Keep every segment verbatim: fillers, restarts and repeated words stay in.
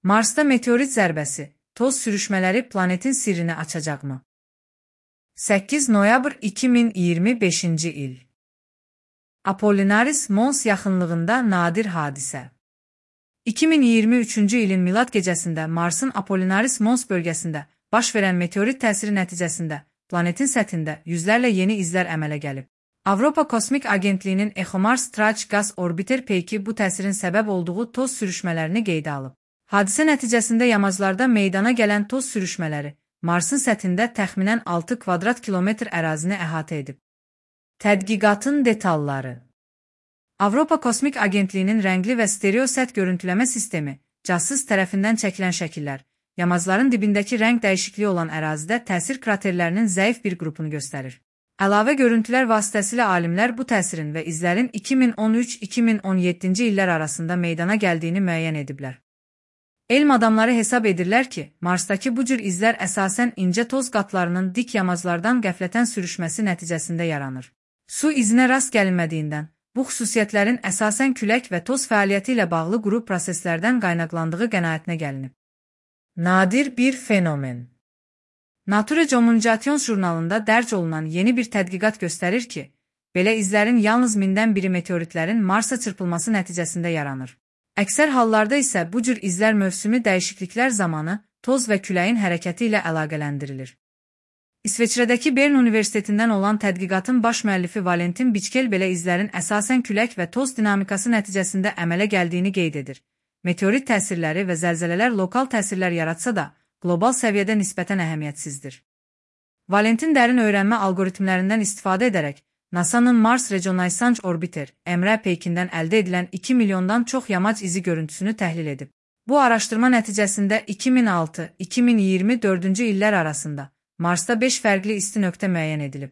Marsda meteorit zərbəsi, toz sürüşmələri planetin sirrini açacaqmı? səkkiz noyabr iki min iyirmi beşinci il. Apollinaris Mons yaxınlığında nadir hadisə. iki min iyirmi üçüncü ilin milad gecəsində Marsın Apollinaris Mons bölgəsində baş verən meteorit təsiri nəticəsində planetin səthində yüzlərlə yeni izlər əmələ gəlib. Avropa Kosmik Agentliyinin ExoMars Traç Qaz Orbiter peyki bu təsirin səbəb olduğu toz sürüşmələrini qeydə alıb. Hadisə nəticəsində yamaclarda meydana gələn toz sürüşmələri Marsın səthində təxminən altı kvadrat kilometr ərazini əhatə edib. Tədqiqatın detalları. Avropa Kosmik Agentliyinin rəngli və stereo səth görüntüləmə sistemi, casus tərəfindən çəkilən şəkillər, yamacların dibindəki rəng dəyişikliyi olan ərazidə təsir kraterlərinin zəif bir qrupunu göstərir. Əlavə görüntülər vasitəsilə alimlər bu təsirin və izlərin iki min on üç iki min on yeddinci illər arasında meydana gəldiyini müəyyən ediblər. Elm adamları hesab edirlər ki, Marsdakı bu cür izlər əsasən incə toz qatlarının dik yamaclardan qəflətən sürüşməsi nəticəsində yaranır. Su izinə rast gəlinmədiyindən, bu xüsusiyyətlərin əsasən külək və toz fəaliyyəti ilə bağlı quru proseslərdən qaynaqlandığı qənaətinə gəlinib. Nadir bir fenomen. Nature Communications jurnalında dərc olunan yeni bir tədqiqat göstərir ki, belə izlərin yalnız mindən biri meteoritlərin Marsa çırpılması nəticəsində yaranır. Əksər hallarda isə bu cür izlər mövsümi dəyişikliklər zamanı toz və küləyin hərəkəti ilə əlaqələndirilir. İsveçrədəki Bern Universitetindən olan tədqiqatın baş müəllifi Valentin Biçkel belə izlərin əsasən külək və toz dinamikası nəticəsində əmələ gəldiyini qeyd edir. Meteorit təsirləri və zəlzələlər lokal təsirlər yaratsa da, qlobal səviyyədə nisbətən əhəmiyyətsizdir. Valentin dərin öyrənmə algoritmlərindən istifadə edərək, NASA'nın Mars Reconnaissance Orbiter, M R peykindən əldə edilən iki milyondan çox yamac izi görüntüsünü təhlil edib. Bu araşdırma nəticəsində iki min altı iki min iyirmi dördüncü illər arasında Marsda beş fərqli isti nöqtə müəyyən edilib.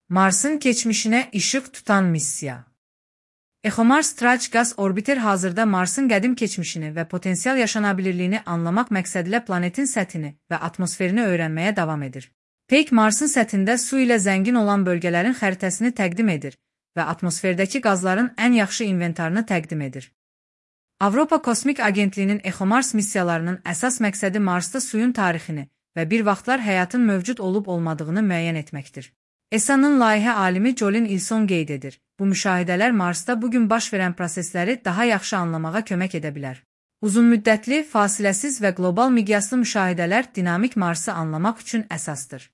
Marsın keçmişinə işıq tutan missiya. ExoMars Traç Qaz Orbiter hazırda Marsın qədim keçmişini və potensial yaşanabilirliyini anlamaq məqsədilə planetin səthini və atmosferini öyrənməyə davam edir. Peyk Marsın səthində su ilə zəngin olan bölgələrin xəritəsini təqdim edir və atmosferdəki qazların ən yaxşı inventarını təqdim edir. Avropa Kosmik Agentliyinin ExoMars missiyalarının əsas məqsədi Marsda suyun tarixini və bir vaxtlar həyatın mövcud olub-olmadığını müəyyən etməkdir. E S A-nın layihə alimi Jolin İlson qeyd edir. Bu müşahidələr Marsda bugün baş verən prosesləri daha yaxşı anlamağa kömək edə bilər. Uzunmüddətli, fasiləsiz və qlobal miqyaslı müşahidələr dinamik Marsı anlamaq üçün əsasdır.